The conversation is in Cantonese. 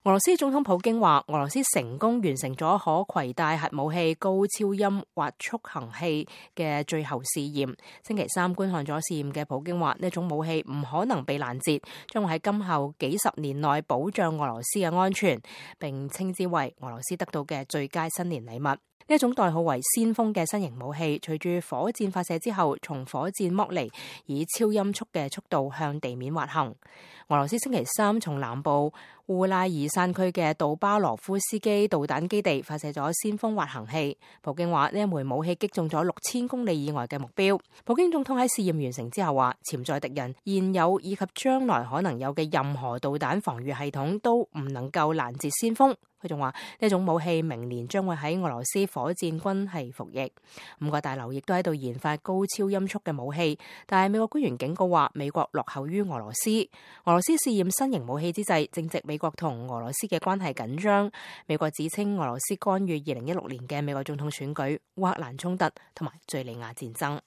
俄羅斯總統普京話，俄羅斯成功完成咗可攜帶核武器高超音滑速行器嘅最後試驗。星期三觀看咗試驗嘅普京話，呢種武器唔可能被攔截，將會喺今後幾十年內保障俄羅斯嘅安全，並稱之為俄羅斯得到嘅最佳新年禮物。呢一種代號為先鋒嘅新型武器，隨住火箭發射之後，從火箭剝離，以超音速嘅速度向地面滑行。俄羅斯星期三從南部烏拉爾山區嘅杜巴羅夫斯基導彈基地發射咗先鋒滑行器。普京話呢一枚武器擊中咗6000公里以外嘅目標。普京總統喺試驗完成之後話，潛在敵人現有以及將來可能有嘅任何導彈防禦系統都唔能夠攔截先鋒。佢仲話呢種武器明年將會喺俄羅斯火箭軍係服役。5個大樓亦都喺度研發高超音速嘅武器，但係美國官員警告話，美國落後於俄羅斯。俄羅斯試驗新型武器之際，正值美國同俄羅斯嘅關係緊張。美國指稱俄羅斯干預2016年嘅美國總統選舉、烏克蘭衝突同埋敘利亞戰爭。